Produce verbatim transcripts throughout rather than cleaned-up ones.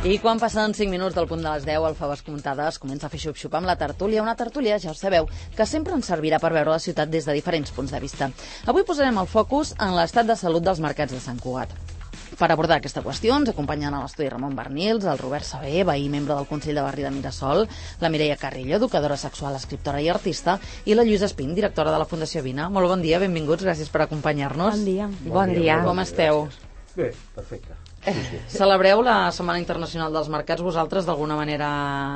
I quan passen cinc minuts del punt de les deu, el Faves Comptades comença a fer xup-xup amb la tertúlia. Una tertúlia, ja ho sabeu, que sempre ens servirà per veure la ciutat des de diferents punts de vista. Avui posarem el focus en l'estat de salut dels mercats de Sant Cugat. Per abordar aquesta qüestió ens acompanyen a l'estudi Ramon Bernils, el Robert Saber, veí membre del Consell de Barri de Mirasol, la Mireia Carrillo, educadora sexual, escriptora i artista, i la Lluïsa Espín, directora de la Fundació Vina. Molt bon dia, benvinguts, gràcies per acompanyar-nos. Bon dia. Bon, bon dia. dia. Com esteu? Bé, perfecte. Sí, sí. Celebreu la Setmana Internacional dels Mercats vosaltres d'alguna manera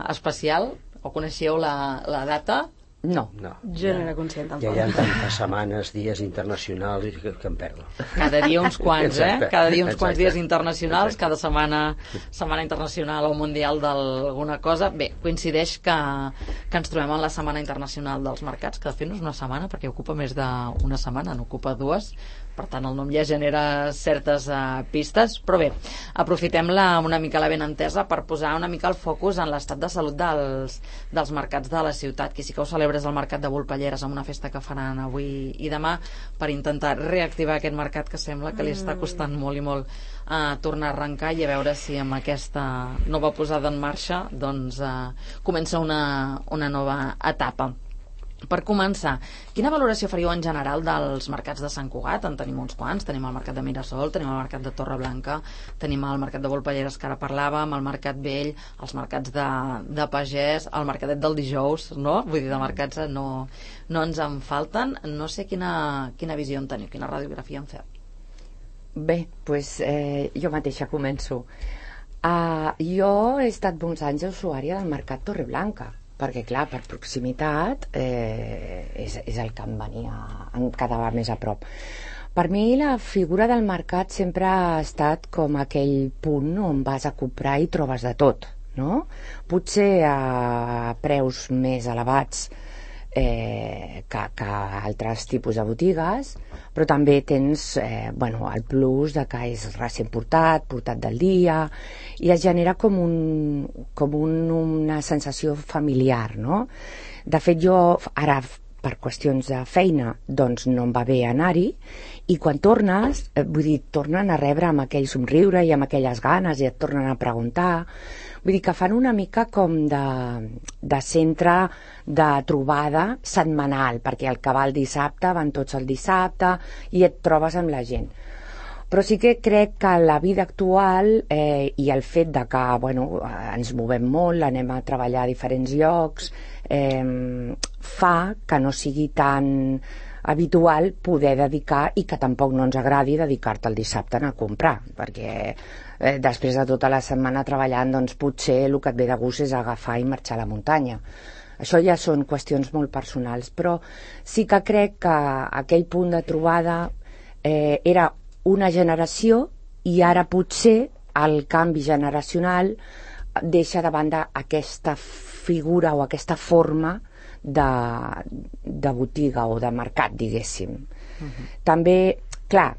especial? O coneixeu la, la data? No, no, jo no era conscient tampoc. Ja hi ha tantes setmanes, dies internacionals que, que em perdo. Cada dia uns quants, eh? Cada dia uns Exacte. quants dies internacionals, Exacte. cada setmana setmana internacional o mundial d'alguna cosa. Bé, coincideix que, que ens trobem en la Setmana Internacional dels Mercats, que de fet no és una setmana perquè ocupa més d'una setmana, n'ocupa dues. Per tant, el nom ja genera certes uh, pistes, però bé, aprofitem-la una mica la ben entesa per posar una mica el focus en l'estat de salut dels, dels mercats de la ciutat. Qui sí que ho celebra és el Mercat de Volpelleres, amb una festa que faran avui i demà per intentar reactivar aquest mercat que sembla que li està costant molt i molt a uh, tornar a arrencar, i a veure si amb aquesta nova posada en marxa doncs uh, comença una, una nova etapa. Per començar, quina valoració faríeu en general dels mercats de Sant Cugat? En tenim uns quants, tenim el mercat de Mirasol, tenim el mercat de Torreblanca, tenim el mercat de Volpelleres que ara parlàvem, el mercat vell, els mercats de, de pagès, el mercadet del dijous, no? Vull dir, de mercats no, no ens en falten. No sé quina, quina visió en teniu, quina radiografia en feu. Bé, doncs eh, jo mateixa començo. Uh, jo he estat molts anys usuària del mercat Torreblanca, perquè clar, per proximitat eh, és, és el que em venia, em quedava més a prop. Per mi la figura del mercat sempre ha estat com aquell punt on vas a comprar i trobes de tot, no? Potser a preus més elevats eh, que, que altres tipus de botigues, però també tens eh, bueno, el plus de que és recent portat, portat del dia, i es genera com, un, com un, una sensació familiar, no? De fet, jo ara, per qüestions de feina, doncs no em va bé anar-hi, i quan tornes, eh, vull dir, tornen a rebre amb aquell somriure i amb aquelles ganes, i et tornen a preguntar. Vull dir que fan una mica com de, de centre de trobada setmanal, perquè el que va el dissabte van tots el dissabte i et trobes amb la gent. Però sí que crec que la vida actual eh, i el fet de que bueno, ens movem molt, anem a treballar a diferents llocs, eh, fa que no sigui tan habitual poder dedicar, i que tampoc no ens agradi dedicar-te el dissabte a comprar, perquè eh, després de tota la setmana treballant, doncs potser el que et ve de gust és agafar i marxar a la muntanya. Això ja són qüestions molt personals, però sí que crec que aquell punt de trobada eh, era una generació, i ara potser el canvi generacional deixa de banda aquesta figura o aquesta forma de, de botiga o de mercat, diguéssim. Uh-huh. També, clar,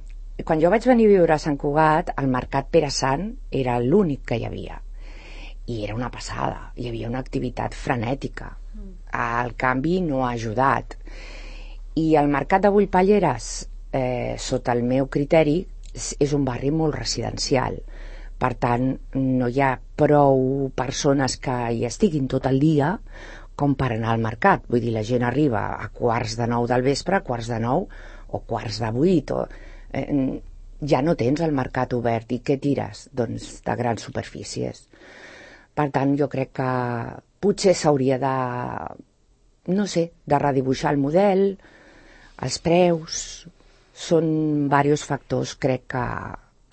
quan jo vaig venir a viure a Sant Cugat, el mercat Pere Sant era l'únic que hi havia, i era una passada, hi havia una activitat frenètica. El canvi no ha ajudat, i el mercat de Volpelleres, eh, sota el meu criteri, és un barri molt residencial. Per tant, no hi ha prou persones que hi estiguin tot el dia com per anar al mercat. Vull dir, la gent arriba a quarts de nou del vespre, a quarts de nou o quarts de vuit, o, eh, ja no tens el mercat obert, i què tires? Doncs de grans superfícies. Per tant, jo crec que potser s'hauria de, no sé, de redibuixar el model, els preus. Són diversos factors, crec que,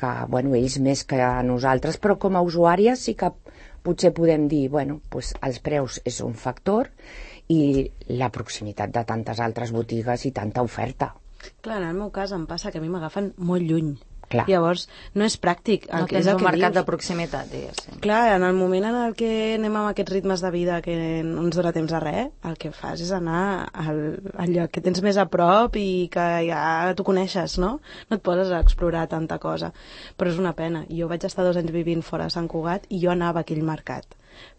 que bueno, ells més que nosaltres, però com a usuàries sí que potser podem dir, bueno, pues els preus és un factor, i la proximitat de tantes altres botigues i tanta oferta. Clar, en el meu cas em passa que a mi m'agafen molt lluny. Clar. Llavors, no és pràctic. No tens un mercat de proximitat, diguéssim. Clar, en el moment en el que anem amb aquests ritmes de vida que no ens dona temps a res, el que fas és anar al, al lloc que tens més a prop i que ja tu coneixes, no? No et poses a explorar tanta cosa. Però és una pena. Jo vaig estar dos anys vivint fora de Sant Cugat i jo anava a aquell mercat.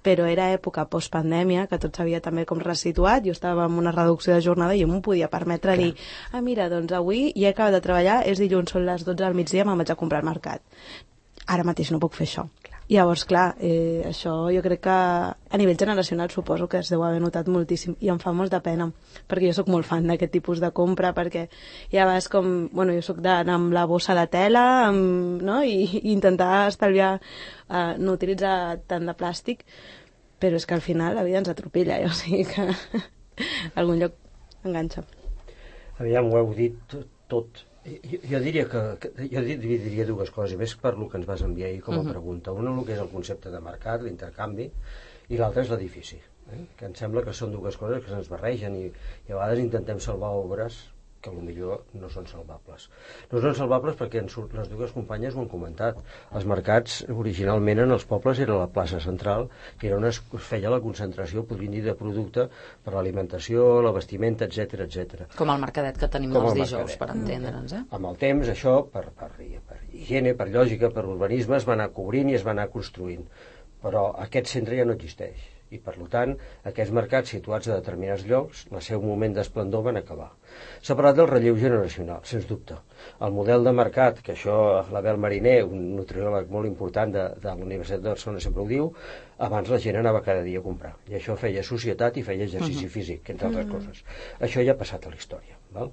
Però era època postpandèmia, que tot s'havia també com resituat, jo estava amb una reducció de jornada i jo m'ho podia permetre. Clar. Dir, ah mira, doncs avui ja he acabat de treballar, és dilluns, són les dotze del migdia, me'n vaig a comprar al mercat. Ara mateix no puc fer això. Clar. Llavors, clar, eh, això jo crec que a nivell generacional suposo que es deu haver notat moltíssim i em fa molta pena, perquè jo sóc molt fan d'aquest tipus de compra, perquè ja vas com... Bueno, jo sóc d'anar amb la bossa de tela, amb, no? I, i intentar estalviar, eh, no utilitzar tant de plàstic, però és que al final la vida ens atropella, eh? O sigui que algun lloc enganxa. Aviam, ho heu dit tot, tot. Jo, jo diria que, que jo diria dues coses, més per lo que ens vas enviar ahir com a uh-huh. pregunta. Una, el que és el concepte de mercat, l'intercanvi, i l'altra és l'edifici, eh? Que em sembla que són dues coses que se'ns barregen i, i a vegades intentem salvar obres que potser no són salvables. No són salvables perquè en surt, les dues companyes ho han comentat. Els mercats originalment en els pobles era la plaça central, que era on es feia la concentració, podríem dir, de producte per l'alimentació, la vestimenta, etcètera, etcètera. Com el mercadet que tenim Com els el dijous, mercadet. per entendre'ns. Eh? Amb el temps, això, per, per, per higiene, per lògica, per urbanisme, es va anar cobrint i es va anar construint. Però aquest centre ja no existeix. I, per tant, aquests mercats situats a determinats llocs, el seu moment d'esplendor van acabar. S'ha parlat del relleu generacional, sens dubte. El model de mercat, que això l'Abel Mariner, un nutriòleg molt important de, de la Universitat de Barcelona, sempre ho diu, abans la gent anava cada dia a comprar. I això feia societat i feia exercici uh-huh. físic, entre altres uh-huh. coses. Això ja ha passat a la història. Val?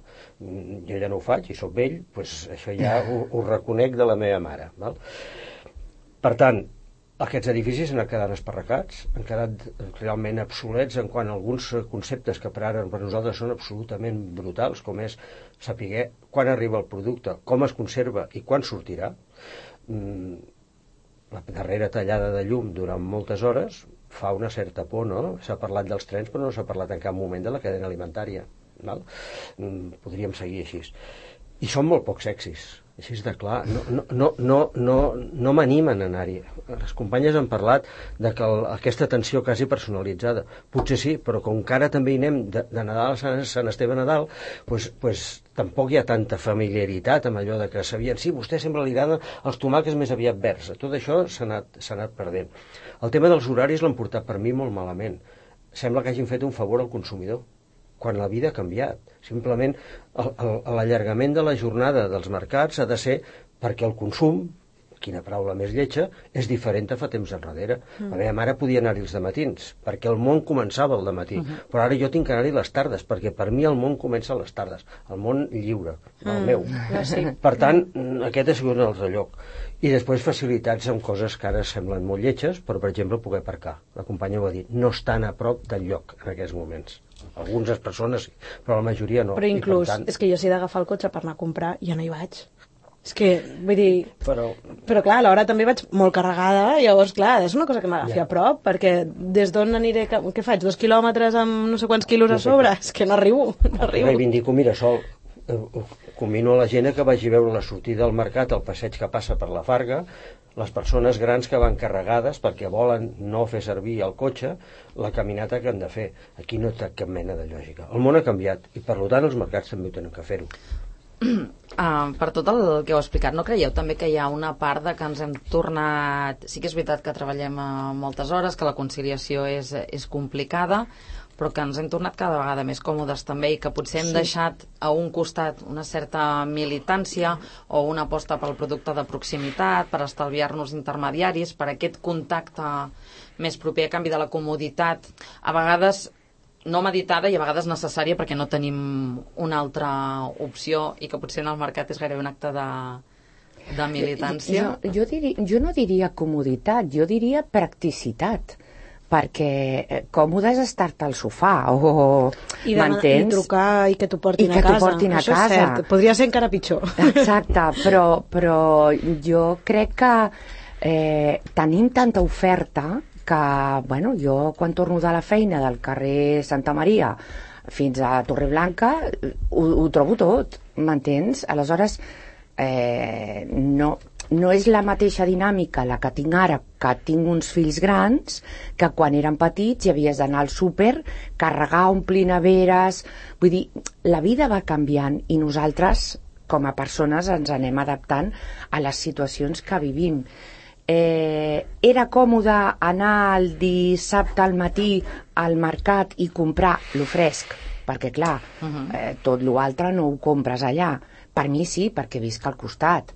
Jo ja no ho faig i sóc vell, doncs això ja ho, ho reconec de la meva mare. Val? Per tant, aquests edificis han quedat esparracats, han quedat realment obsolets en quant a alguns conceptes que per ara per nosaltres són absolutament brutals, com és saber quan arriba el producte, com es conserva i quan sortirà. La darrera tallada de llum durant moltes hores fa una certa por, no? S'ha parlat dels trens, però no s'ha parlat en cap moment de la cadena alimentària. Val? Podríem seguir així. I són molt pocs sexis. Així és de clar, no, no, no, no, no, no m'animen a anar-hi. Les companyes han parlat de que el, aquesta atenció quasi personalitzada. Potser sí, però com que ara també hi anem de, de Nadal a Sant, Sant Esteve a Nadal, pues, pues, tampoc hi ha tanta familiaritat amb allò de que sabien, sí, vostè sempre li agraden els tomàquets més aviat verds. Tot això s'ha anat, s'ha anat perdent. El tema dels horaris l'han portat per mi molt malament. Sembla que hagin fet un favor al consumidor, quan la vida ha canviat. Simplement l'allargament de la jornada dels mercats ha de ser perquè el consum, quina paraula més lletja, és diferent a fa temps enrere. Mm. La meva mare podia anar-hi els dematins, perquè el món començava al dematí, uh -huh. però ara jo tinc que anar-hi les tardes, perquè per mi el món comença a les tardes, el món lliure, el mm. meu. No, sí. Per tant, aquest ha sigut un altre lloc. I després facilitats amb coses que ara semblen molt lletges, però, per exemple, poder aparcar. La companya ho ha dit, no estan a prop del lloc en aquests moments. Algunes persones sí, però la majoria no. Però inclús, tant... és que jo si he d'agafar el cotxe per anar a comprar, ja no hi vaig. És que, vull dir... Però, però clar, alhora també vaig molt carregada, llavors, clar, és una cosa que m'agafi yeah. a prop, perquè des d'on aniré... Què faig? Dos quilòmetres amb no sé quants quilos no sé a sobre? Que... És que no arribo, no arribo. Reivindico Mirasol. Convino a la gent que vagi veure la sortida del mercat, el passeig que passa per la Farga, les persones grans que van carregades perquè volen no fer servir el cotxe, la caminata que han de fer. Aquí no té cap mena de lògica. El món ha canviat i, per tant, els mercats també ho tenen que fer-ho. Uh, per tot el que heu explicat, no creieu també que hi ha una part de que ens hem tornat... Sí que és veritat que treballem a moltes hores, que la conciliació és, és complicada, però que ens hem tornat cada vegada més còmodes també i que potser hem sí. deixat a un costat una certa militància o una aposta pel producte de proximitat, per estalviar-nos intermediaris, per aquest contacte més proper a canvi de la comoditat, a vegades no meditada i a vegades necessària perquè no tenim una altra opció i que potser en el mercat és gairebé un acte de, de militància. Jo, jo, diri, jo no diria comoditat, jo diria practicitat, perquè còmode és estar-te al sofà o I, i trucar i que t'ho portin, I que a casa. portin a Això casa. És cert. Podria ser encara pitjor. Exacte, però, però jo crec que eh, tenim tanta oferta que, bueno, jo quan torno de la feina del carrer Santa Maria fins a Torreblanca ho, ho trobo tot, m'entens? Aleshores eh, no, no és la mateixa dinàmica la que tinc ara, que tinc uns fills grans, que quan eren petits i havies d'anar al súper, carregar, omplir neveres, vull dir, la vida va canviant i nosaltres com a persones ens anem adaptant a les situacions que vivim. Eh, era còmode anar el dissabte al matí al mercat i comprar lo fresc, perquè clar, uh-huh. eh, tot l'altre no ho compres allà. Per mi sí, perquè visc al costat,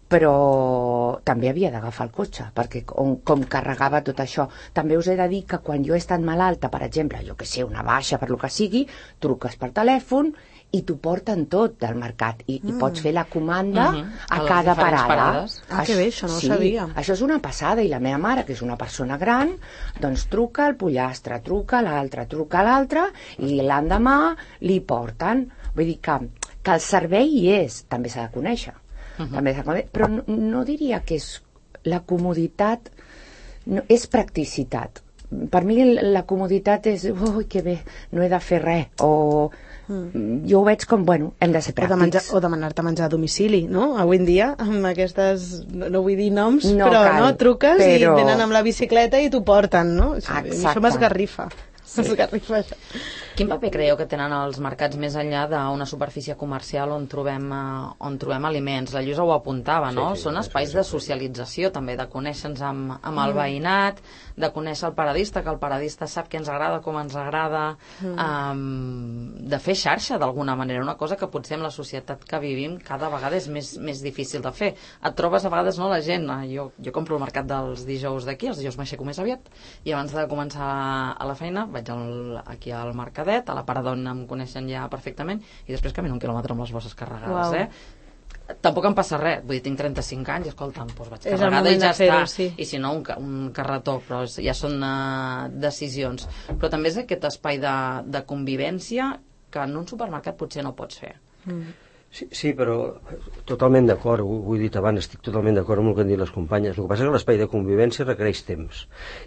però també havia d'agafar el cotxe, perquè com, com carregava tot això. També us he de dir que quan jo he estat malalta, per exemple, jo que sé, una baixa per lo que sigui, truques per telèfon i t'ho porten tot del mercat i, mm. i pots fer la comanda mm-hmm. a, a cada parada. Parades. Ah, que bé, això no sí, ho sabia. Això és una passada, i la meva mare, que és una persona gran, doncs truca al pollastre, truca a l'altre, truca a l'altre, i l'endemà li porten. Vull dir que, que el servei hi és, també s'ha de conèixer. Uh-huh. També s'ha de conèixer, però no, no diria que és la comoditat, no, és practicitat. Per mi la comoditat és, ui, que bé, no he de fer res, o mm. jo ho veig com, bueno, hem de ser pràctics. O, de menjar, o demanar-te menjar a domicili, no? Avui en dia, amb aquestes, no vull dir noms, no però cal, no, truques però... i venen amb la bicicleta i t'ho porten, no? Això, això m'esgarrifa. Sí. M'esgarrifa això. Quin paper creieu que tenen els mercats més enllà d'una superfície comercial on trobem, uh, on trobem aliments? La Lluïsa ho apuntava, no? Sí, sí, Són sí, espais sí, sí. de socialització, també, de conèixer-nos amb, amb el veïnat, de conèixer el paradista, que el paradista sap què ens agrada, com ens agrada, mm. um, de fer xarxa d'alguna manera, una cosa que potser en la societat que vivim cada vegada és més, més difícil de fer. Et trobes a vegades, no, la gent, jo, jo compro el mercat dels dijous d'aquí, els dijous m'aixeco més aviat, i abans de començar a la feina vaig al, aquí al mercadet, a la part d'on em coneixen ja perfectament, i després camino un quilòmetre amb les bosses carregades, wow. eh? Tampoc em passa res, vull dir, tinc trenta-cinc anys i escolta'm, doncs vaig carregada i ja està, sí. I si no un, un carretó, però ja són uh, decisions, però també és aquest espai de, de convivència que en un supermercat potser no pots fer. Mm. Sí, sí, però totalment d'acord, ho, ho he dit abans, estic totalment d'acord amb el que han dit les companyes. El que passa és que l'espai de convivència requereix temps,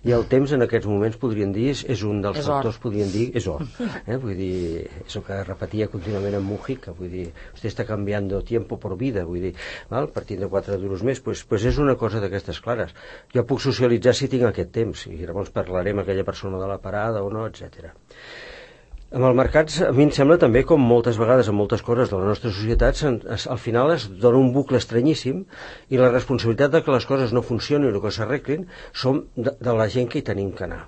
i el temps en aquests moments, podríem dir, és, és un dels és factors, or. podríem dir, és or. Eh? Vull dir, és el que repetia contínuament en Mujica, vull dir, vostè està canviando tiempo por vida, vull dir, val? Partint de quatre duros més, pues, pues és una cosa d'aquestes clares. Jo puc socialitzar si tinc aquest temps, i llavors parlarem amb aquella persona de la parada o no, etcètera. Amb els mercats, a mi em sembla també, com moltes vegades en moltes coses de la nostra societat, al final es dona un bucle estranyíssim, i la responsabilitat de que les coses no funcionin o que s'arreglin són de, de la gent que hi tenim que anar.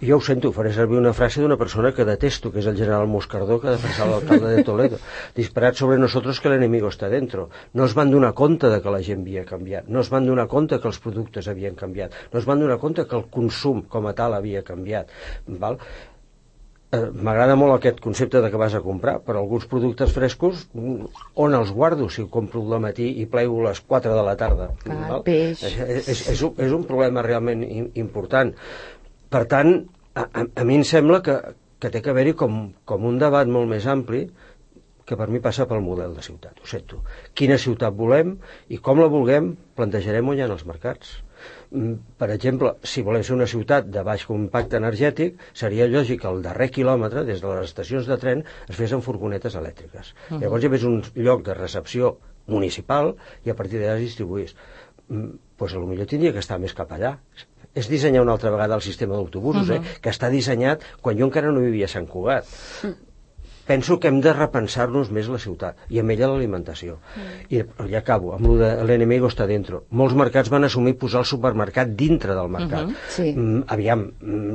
I jo ho sento, faré servir una frase d'una persona que detesto, que és el general Moscardó, que ha defensat l'alcalde de Toledo. Disparat sobre nosotros que l'enemigo està dentro. No es van donar compte de que la gent havia canviat, no es van donar compte que els productes havien canviat, no es van donar compte que el consum com a tal havia canviat. Val? M'agrada molt aquest concepte de que vas a comprar, però alguns productes frescos, on els guardo si ho compro al matí i plego a les quatre de la tarda? Cal, peix. És, és, és, un, és un problema realment important. Per tant, a, a, a mi em sembla que, que té que haver-hi com, com un debat molt més ampli, que per mi passa pel model de ciutat, ho sento. Quina ciutat volem i com la vulguem, plantejarem on hi ha els mercats. Per exemple, si volem ser una ciutat de baix impacte energètic, seria lògic que el darrer quilòmetre, des de les estacions de tren, es fes amb furgonetes elèctriques. Uh-huh. Llavors hi havia un lloc de recepció municipal i a partir d'allà es distribuís. Doncs potser tindria que estar més cap allà. És dissenyar una altra vegada el sistema d'autobusos, uh-huh. eh, que està dissenyat quan jo encara no vivia a Sant Cugat. Uh-huh. Penso que hem de repensar-nos més la ciutat, i amb ella l'alimentació. Mm. I ja acabo, amb lo de l'enemigo està dentro. Molts mercats van assumir posar el supermercat dintre del mercat. Uh-huh. Sí. Mm, aviam,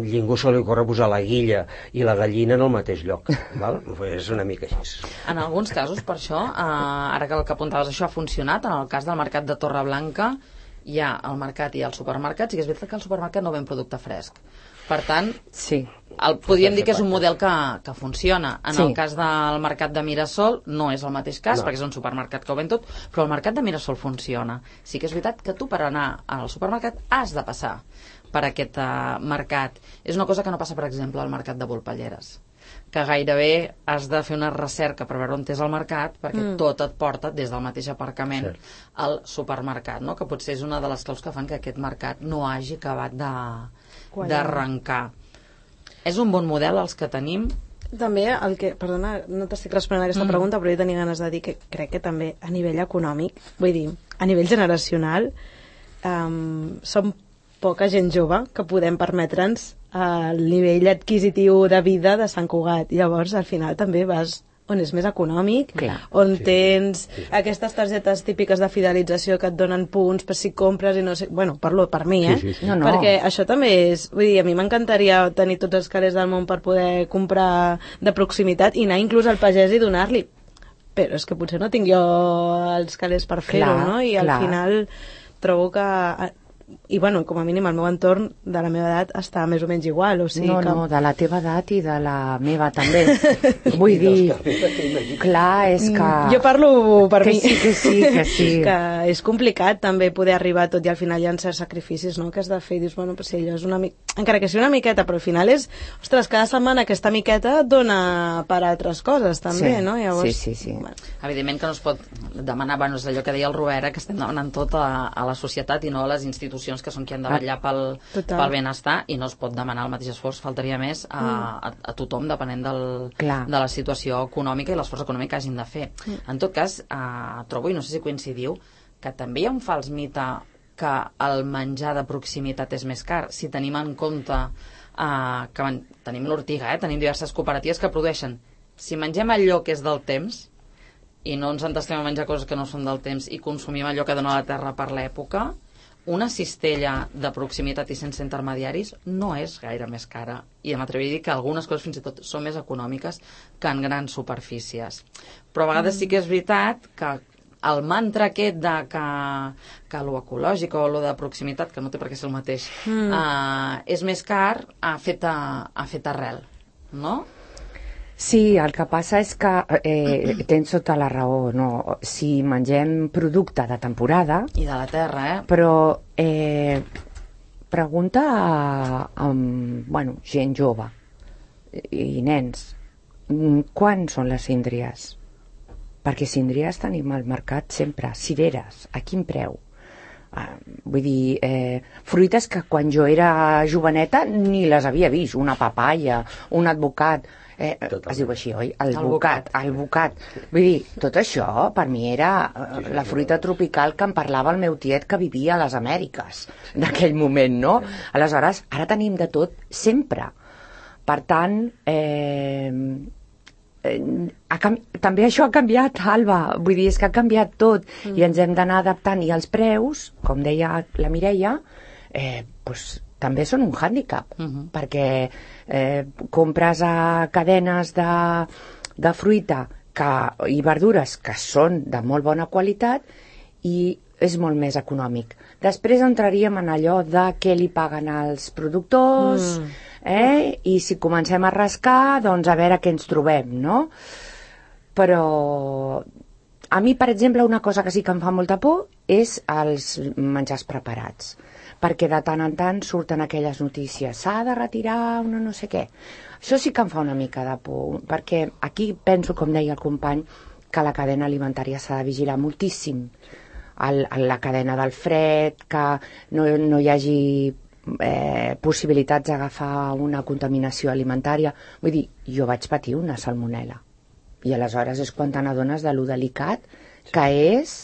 ningú se li ocorre posar la guilla i la gallina en el mateix lloc. Val? És una mica així. En alguns casos, per això, eh, ara que el que apuntaves, això ha funcionat, en el cas del mercat de Torreblanca, hi ha el mercat i el supermercat, sí que és veritat que el supermercat no ven producte fresc. Per tant, sí. el, podríem dir que és un model que, que funciona. En sí. el cas del mercat de Mirasol no és el mateix cas, no. perquè és un supermercat que ho ven tot, però el mercat de Mirasol funciona. Sí que és veritat que tu per anar al supermercat has de passar per aquest uh, mercat. És una cosa que no passa, per exemple, al mercat de Volpelleres, que gairebé has de fer una recerca per veure on és el mercat, perquè mm. tot et porta des del mateix aparcament Cert. al supermercat, no? Que potser és una de les claus que fan que aquest mercat no hagi acabat de d'arrencar. És un bon model els que tenim. També el que, perdona, no t'estic responent a aquesta mm. pregunta, però jo tenia ganes de dir que crec que també a nivell econòmic, vull dir, a nivell generacional, um, som poca gent jove que podem permetre'ns el nivell adquisitiu de vida de Sant Cugat. Llavors, al final també vas on és més econòmic, Clar. on sí, tens sí. aquestes targetes típiques de fidelització que et donen punts per si compres i no sé... Bueno, parlo per mi, eh? Sí, sí, sí. No, no. Perquè això també és... Vull dir, a mi m'encantaria tenir tots els calés del món per poder comprar de proximitat i anar inclús al pagès i donar-li. però és que potser no tinc jo els calés per fer-ho, no? I al clar. final trobo que... I, bueno, com a mínim el meu entorn de la meva edat està més o menys igual, o sigui no, que... no, de la teva edat i de la meva també. Vull dir, clar, és que... Jo parlo per que mi. sí, que sí, que sí. Que és complicat també poder arribar a tot i al final hi ha certs sacrificis, no?, que has de fer i dius, bueno, pues sí, allò és una mica... Encara que sigui una miqueta, però al final és... Ostres, cada setmana aquesta miqueta et dona per altres coses, també, sí, no? Llavors, sí, sí, sí. Bueno. Evidentment que no es pot demanar, bueno, és allò que deia el Robert, que estem demanant tot a, a la societat i no a les institucions que són qui han de vetllar pel, pel benestar, i no es pot demanar el mateix esforç, faltaria més, a, a, a tothom, depenent del, de la situació econòmica i l'esforç econòmic que hagin de fer. Mm. En tot cas, eh, trobo, i no sé si coincidiu, que també hi ha un fals mite que el menjar de proximitat és més car, si tenim en compte eh, que man, tenim l'Ortiga, eh, tenim diverses cooperatives que produeixen, si mengem allò que és del temps i no ens entestem a menjar coses que no són del temps i consumim allò que dona la terra per l'època, una cistella de proximitat i sense intermediaris no és gaire més cara, i m'atreviria a dir que algunes coses fins i tot són més econòmiques que en grans superfícies. Però a vegades sí que és veritat que el mantra aquest de que, que lo ecològic o lo de proximitat, que no té per què ser el mateix, mm. uh, és més car, ha fet, a, ha fet arrel, no? Sí, el que passa és que eh, tens tota la raó, no? Si mengem producte de temporada... I de la terra, eh? Però eh, pregunta a, a bueno, gent jove i nens, quan són les síndries? Perquè síndries tenim al mercat sempre, cireres, a quin preu? Uh, vull dir, eh, fruites que quan jo era joveneta ni les havia vist, una papaya, un advocat... Eh, es diu així, oi? El, el bocat, el bocat. Vull dir, tot això per mi era eh, la fruita tropical que em parlava el meu tiet que vivia a les Amèriques d'aquell moment, no? Aleshores, ara tenim de tot sempre. Per tant, eh, eh, ha també això ha canviat, Alba. Vull dir, és que ha canviat tot mm. i ens hem d'anar adaptant. I els preus, com deia la Mireia, eh, doncs també són un hàndicap, uh-huh. perquè eh, compres a cadenes de, de fruita que, i verdures que són de molt bona qualitat i és molt més econòmic. Després entraríem en allò de què li paguen als productors, mm. eh? i si comencem a rascar, doncs a veure què ens trobem, no? Però a mi, per exemple, una cosa que sí que em fa molta por és els menjars preparats, perquè de tant en tant surten aquelles notícies, s'ha de retirar una no sé què. Això sí que em fa una mica de por, perquè aquí penso, com deia el company, que la cadena alimentària s'ha de vigilar moltíssim. El, la cadena del fred, que no, no hi hagi eh, possibilitats d'agafar una contaminació alimentària. Vull dir, jo vaig patir una salmonel·la. I aleshores és quan te n'adones de lo delicat que és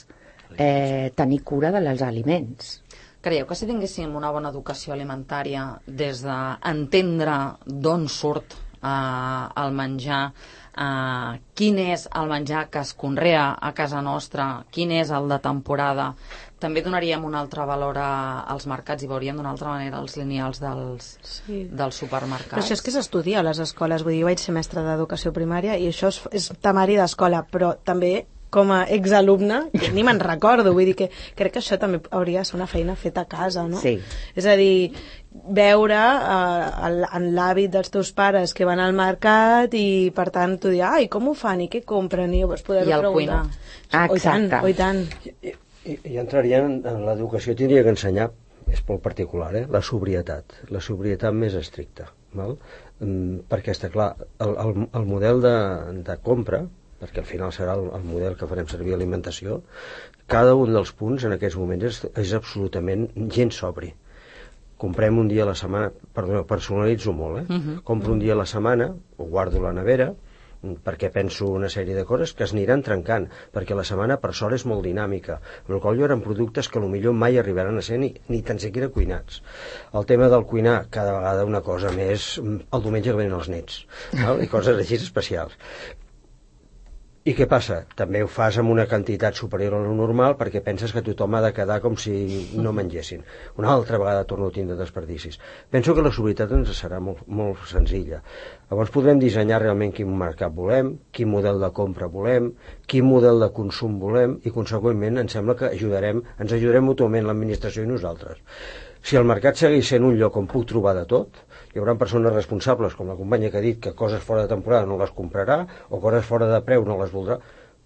eh, tenir cura dels aliments. Creieu que si tinguéssim una bona educació alimentària des d'entendre d'on surt eh, el menjar, eh, quin és el menjar que es conrea a casa nostra, quin és el de temporada, també donaríem un altre valor a, als mercats i veuríem d'una altra manera els lineals dels, sí. dels supermercats. Però això és que s'estudia a les escoles, vull dir, jo vaig ser mestra d'educació primària i això és, és temari d'escola, però també com a exalumne, ni me'n recordo, vull dir que crec que això també hauria de ser una feina feta a casa, no? Sí. És a dir, veure eh, en l'hàbit dels teus pares que van al mercat i per tant tu dir, ai, com ho fan i què compren? I llavors poder-ho preguntar. Ah, o i tant, o i tant. I, i, i entraria en, en l'educació, tindria que ensenyar, és molt particular, eh? la sobrietat, la sobrietat més estricta, val? Mm, perquè està clar, el, el, el model de, de compra, perquè al final serà el, el model que farem servir a alimentació, cada un dels punts en aquests moments és, és absolutament gens sobri. Comprem un dia a la setmana, perdó, personalitzo molt, eh? Uh-huh. Compro un dia a la setmana, ho guardo a la nevera, perquè penso una sèrie de coses que es aniran trencant, perquè la setmana per sort és molt dinàmica, amb la qual cosa eren productes que potser mai arribaran a ser ni, ni tan siquiera cuinats. El tema del cuinar, cada vegada una cosa més, el diumenge que venen els nets, val? I coses així especials. I què passa? També ho fas amb una quantitat superior a lo normal perquè penses que tothom ha de quedar com si no mengessin. Una altra vegada torno a tindre desperdicis. Penso que la sobrietat ens serà molt, molt senzilla. Llavors podrem dissenyar realment quin mercat volem, quin model de compra volem, quin model de consum volem i, conseqüentment, em sembla que ajudarem, ens ajudarem mútuament l'administració i nosaltres. Si el mercat segueix sent un lloc on puc trobar de tot, hi haurà persones responsables, com la companya que ha dit que coses fora de temporada no les comprarà o coses fora de preu no les voldrà,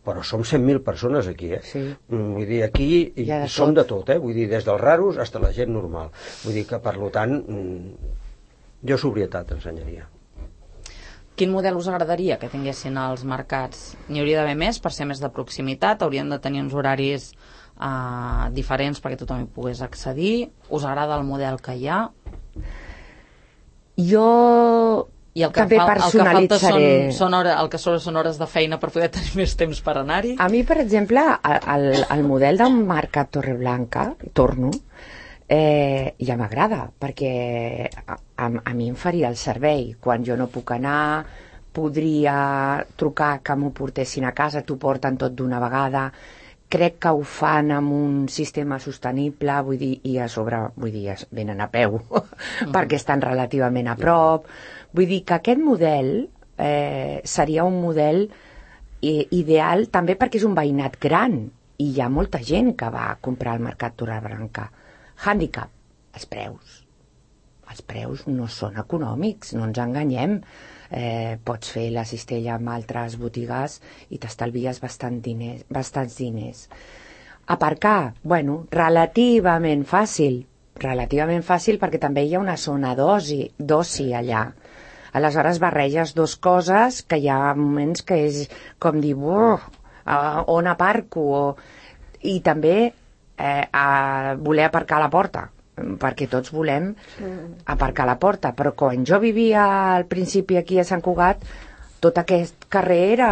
però som cent mil persones aquí, eh? Sí. Vull dir, aquí de som tot. de tot, eh? Vull dir, des dels raros fins a la gent normal. Vull dir que, per tant, jo sobrietat ensenyaria. Quin model us agradaria que tinguessin els mercats? N'hi hauria d'haver més per ser més de proximitat? Haurien de tenir uns horaris uh, diferents perquè tothom hi pogués accedir? Us agrada el model que hi ha? Jo I el que també fal, personalitzaré. El que falta són, són hores, el que són, són hores de feina per poder tenir més temps per anar-hi? A mi, per exemple, el, el model del Mercat Torreblanca, torno, eh, ja m'agrada, perquè a, a, a mi em faria el servei. Quan jo no puc anar, podria trucar que m'ho portessin a casa, t'ho porten tot d'una vegada. Crec que ho fan amb un sistema sostenible, vull dir, i a sobre, vull dir, venen a peu, mm. perquè estan relativament a prop. Vull dir que aquest model eh, seria un model eh, ideal també perquè és un veïnat gran i hi ha molta gent que va a comprar al Mercat Torreblanca. Hàndicap, els preus. Els preus no són econòmics, no ens enganyem. Eh, pots fer la cistella amb altres botigues i t'estalvies bastant diners, bastants diners. Aparcar, bueno, relativament fàcil, relativament fàcil perquè també hi ha una zona d'oci, d'oci allà. Aleshores barreges dos coses que hi ha moments que és com dir, on aparco? O... I també eh, a voler aparcar a la porta, perquè tots volem aparcar a la porta, però quan jo vivia al principi aquí a Sant Cugat, tot aquest carrer era...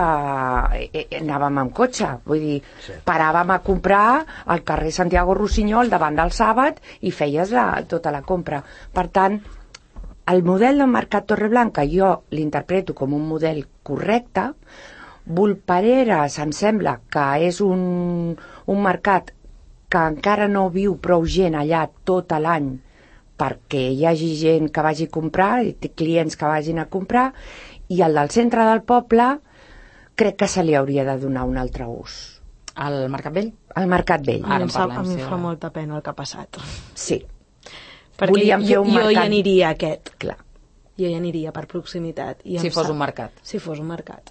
anàvem amb cotxe, vull dir, sí. Paràvem a comprar al carrer Santiago Rossinyol davant del Sàbat i feies la, tota la compra. Per tant, el model del Mercat Torreblanca jo l'interpreto com un model correcte. Volpareres em sembla que és un, un mercat que encara no viu prou gent allà tot l'any perquè hi hagi gent que vagi a comprar, clients que vagin a comprar, i el del centre del poble crec que se li hauria de donar un altre ús. Al Mercat Vell? Al Mercat Vell. Ara parlem, a mi em fa molta pena el que ha passat. Sí. Perquè Volíem fer un jo, mercat... jo hi aniria a aquest. Clar. Jo hi aniria per proximitat. I si fos un mercat. Si fos un mercat.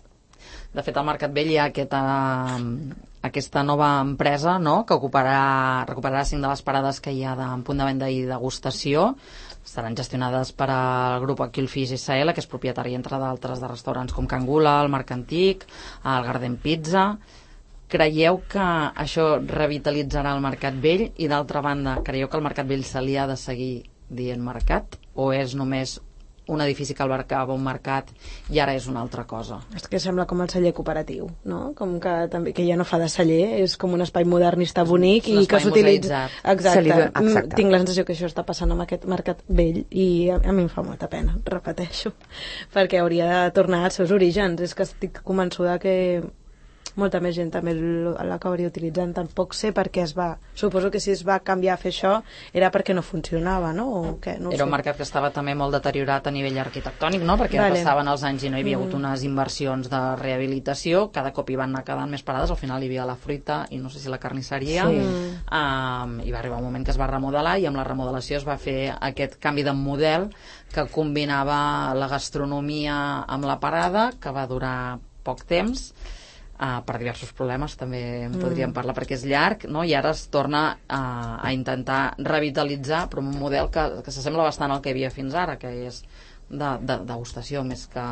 De fet, al Mercat Vell hi ha aquesta, aquesta nova empresa, no?, que ocuparà, recuperarà cinc de les parades que hi ha de punt de venda i degustació. Estaran gestionades per al grup Aquilfish S L, que és propietari, entre d'altres, de restaurants com Cangula, el Marc Antic, el Garden Pizza. Creieu que això revitalitzarà el Mercat Vell? I, d'altra banda, creieu que el Mercat Vell se li ha de seguir dient mercat? O és només un edifici que albergava un mercat i ara és una altra cosa? És que sembla com el celler cooperatiu, no? Com que també que ja no fa de celler, és com un espai modernista bonic i que s'utilitza. Exacte. Exacte. Tinc la sensació que això està passant amb aquest Mercat Vell i a, a mi em fa molta pena, repeteixo, perquè hauria de tornar als seus orígens. És que estic convençuda que molta més gent també l'acabaria utilitzant. Tampoc sé per què es va... Suposo que si es va canviar a fer això era perquè no funcionava, no? O què? No era sé. Un mercat que estava també molt deteriorat a nivell arquitectònic, no? Perquè vale. Passaven els anys i no hi havia hagut unes inversions de rehabilitació, cada cop hi van anar quedant més parades, al final hi havia la fruita i no sé si la carnisseria, sí. um, i va arribar un moment que es va remodelar i amb la remodelació es va fer aquest canvi de model que combinava la gastronomia amb la parada, que va durar poc temps, Uh, per diversos problemes també en podríem mm. parlar perquè és llarg, no? I ara es torna uh, a intentar revitalitzar però un model que, que s'assembla bastant al que hi havia fins ara, que és de, de degustació més que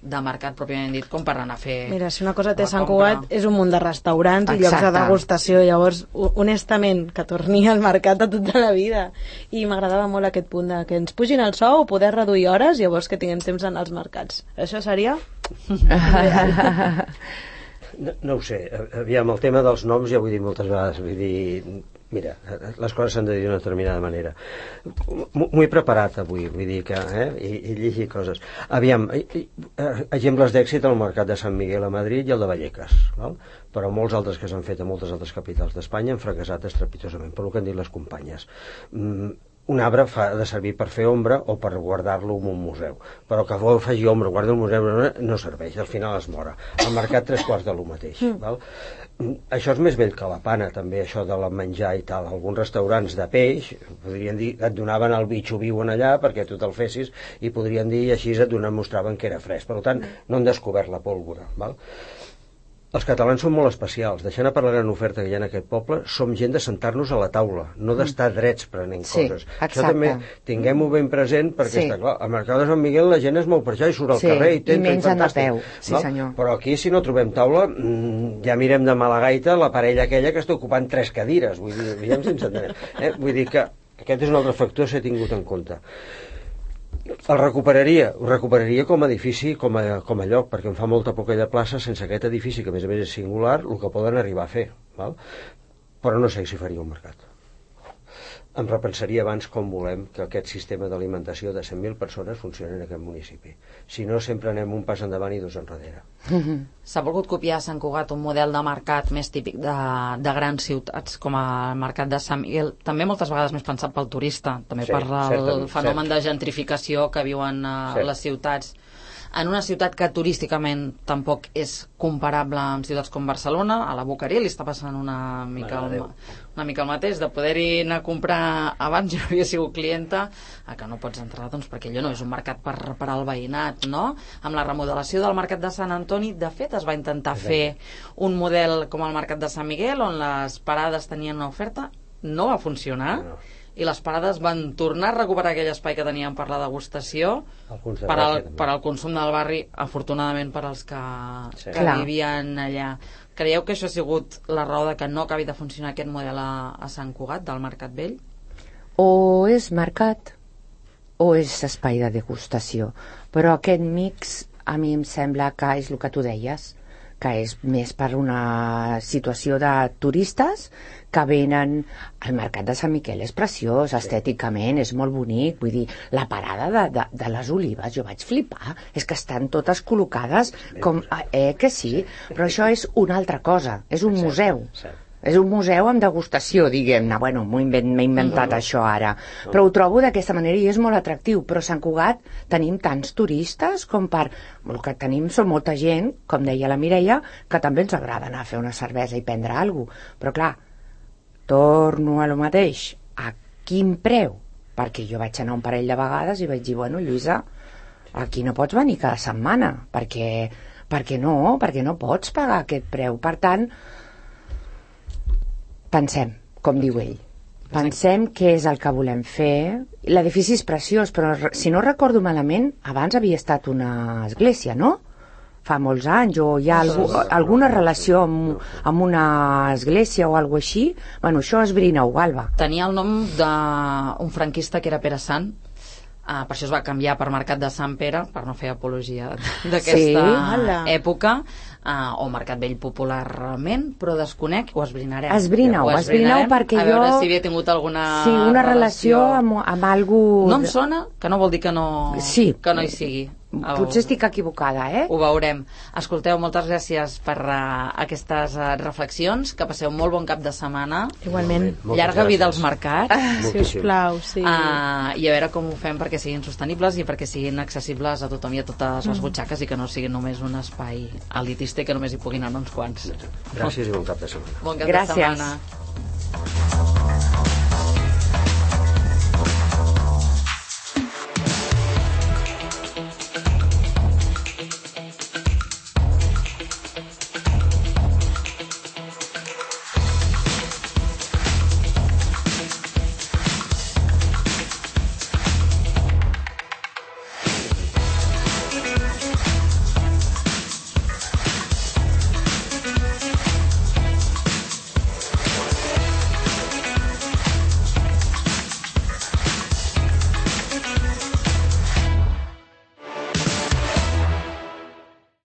de mercat pròpiament dit, com per anar a fer... Mira, si una cosa té Sant Cugat és un munt de restaurants i llocs de degustació, llavors honestament que torni al mercat de tota la vida. I m'agradava molt aquest punt de que ens pugin el sou, poder reduir hores, llavors que tinguem temps d'anar als mercats. Això seria real. No, no ho sé, aviam, el tema dels noms ja ho he dit moltes vegades, vull dir, mira, les coses s'han de dir d'una determinada manera. M'ho he preparat avui, vull dir que, eh, i, i llegir coses. Aviam, exemples d'èxit al mercat de Sant Miguel a Madrid i el de Vallecas, val? Però molts altres que s'han fet a moltes altres capitals d'Espanya han fracassat estrepitosament, per el que han dit les companyes. Mm, un arbre fa de servir per fer ombra o per guardar-lo en un museu, però que vol faci ombra, guarda el museu, no serveix, al final es mora. Al mercat tres quarts de lo mateix, val? Això és més vell que la pana, també, això de la menjar i tal. Alguns restaurants de peix, podrien dir, et donaven el bitxo viu en allà perquè tu te'l fessis, i podrien dir, i així et donaven, mostraven que era fresc. Per tant, no han descobert la pólvora, val? Els catalans són molt especials. Deixant a part la gran oferta que hi ha en aquest poble, som gent de sentar-nos a la taula, no d'estar drets prenent sí, coses. Exacte. Això també tinguem-ho ben present, perquè sí. Està clar, al mercat de Sant Miguel la gent es mou per allà i surt al sí, carrer i tenta, i mengen a peu. Sí, no? senyor. Però aquí, si no trobem taula, ja mirem de mala gaita la parella aquella que està ocupant tres cadires. Vull dir, diguem sense entenem. Eh? Vull dir que aquest és un altre factor que s'ha tingut en compte. El recuperaria, ho recuperaria com a edifici, com a, com a lloc, perquè em fa molta por aquella plaça sense aquest edifici, que a més a més és singular, el que poden arribar a fer, val? Però no sé si faria un mercat. Em repensaria abans com volem que aquest sistema d'alimentació de cent mil persones funcioni en aquest municipi. Si no, sempre anem un pas endavant i dos enrere. S'ha volgut copiar a Sant Cugat un model de mercat més típic de, de grans ciutats, com el mercat de Sant Miguel, també moltes vegades més pensat pel turista, també sí, per el fenomen cert. de gentrificació que viuen a cert. les ciutats. En una ciutat que turísticament tampoc és comparable amb ciutats com Barcelona, a la Boqueria li està passant una mica, el, una mica el mateix, de poder-hi anar a comprar abans, jo havia sigut clienta, a que no pots entrar, doncs perquè allò no és un mercat per, per al veïnat, no? Amb la remodelació del mercat de Sant Antoni, de fet, es va intentar fer un model com el mercat de Sant Miguel, on les parades tenien una oferta, no va funcionar, no. I les parades van tornar a recuperar aquell espai que tenien per la degustació per al, per al consum del barri, afortunadament per als que, sí. que vivien allà. Creieu que això ha sigut la raó de que no acabi de funcionar aquest model a, a Sant Cugat, del Mercat Vell? O és mercat o és espai de degustació, però aquest mix a mi em sembla que és el que tu deies, que és més per una situació de turistes que venen. El mercat de Sant Miquel és preciós, estèticament és molt bonic, vull dir, la parada de, de, de les olives, jo vaig flipar, és que estan totes col·locades com, eh que sí, però això és una altra cosa, és un museu. És un museu amb degustació, diguem-ne. Bueno, m'he inventat no, no. això ara. Però ho trobo d'aquesta manera i és molt atractiu. Però a Sant Cugat tenim tants turistes com per... El que tenim són molta gent, com deia la Mireia, que també ens agrada anar a fer una cervesa i prendre alguna cosa. Però clar, torno a lo mateix. A quin preu? Perquè jo vaig anar un parell de vegades i vaig dir, bueno, Lluïsa, aquí no pots venir cada setmana, perquè, perquè no, perquè no pots pagar aquest preu. Per tant, pensem, com diu ell, pensem què és el que volem fer. L'edifici és preciós, però si no recordo malament, abans havia estat una església, no? Fa molts anys, o hi ha algú, alguna relació amb, amb una església o alguna així. Bueno, això esbrina-ho, Alba. Tenia el nom d'un franquista que era Pere Sant. Uh, per això es va canviar per Mercat de Sant Pere, per no fer apologia d'aquesta sí, època, uh, o Mercat Vell popularment, però desconec, ho esbrinarem. Esbrina-ho, esbrina-ho perquè jo... A veure si havia tingut alguna sí, una relació, relació amb, amb algú... No em sona, que no vol dir que no, sí. que no hi sigui. Potser estic equivocada, eh? Ho veurem. Escolteu, moltes gràcies per uh, aquestes uh, reflexions, que passeu molt bon cap de setmana. Igualment. Llarga vida als mercats. Ah, si us plau, sí. Uh, I a veure com ho fem perquè siguin sostenibles i perquè siguin accessibles a tothom i a totes les butxaques i que no siguin només un espai elitista i que només hi puguin anar uns quants. Gràcies i bon cap de setmana. Bon cap gràcies. de setmana.